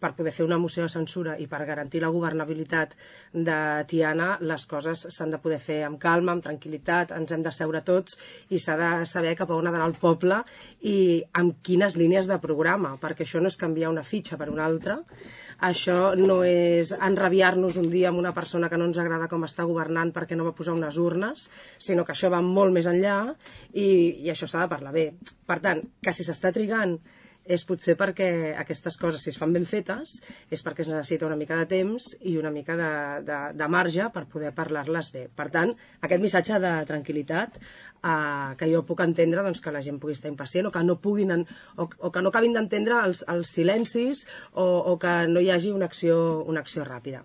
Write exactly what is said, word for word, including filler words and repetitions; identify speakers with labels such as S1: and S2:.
S1: per poder fer una moció de censura i per garantir la governabilitat de Tiana, les coses s'han de poder fer amb calma, amb tranquil·litat, ens hem de seure tots i s'ha de saber cap a on ha d'anar el poble i amb quines línies de programa, perquè això no és canviar una fitxa per una altra, això no és enrabiar-nos un dia amb una persona que no ens agrada com està governant perquè no va posar unes urnes, sinó que això va molt més enllà i, i això s'ha de parlar bé. Per tant, que si s'està trigant és potser perquè aquestes coses, si es fan ben fetes, és perquè es necessita una mica de temps i una mica de, de, de marge per poder parlar-les bé. Per tant, aquest missatge de tranquil·litat, eh, que jo puc entendre doncs, que la gent pugui estar impacient o que no puguin en, o, o que no acabin d'entendre els, els silencis o, o que no hi hagi una acció, una acció ràpida.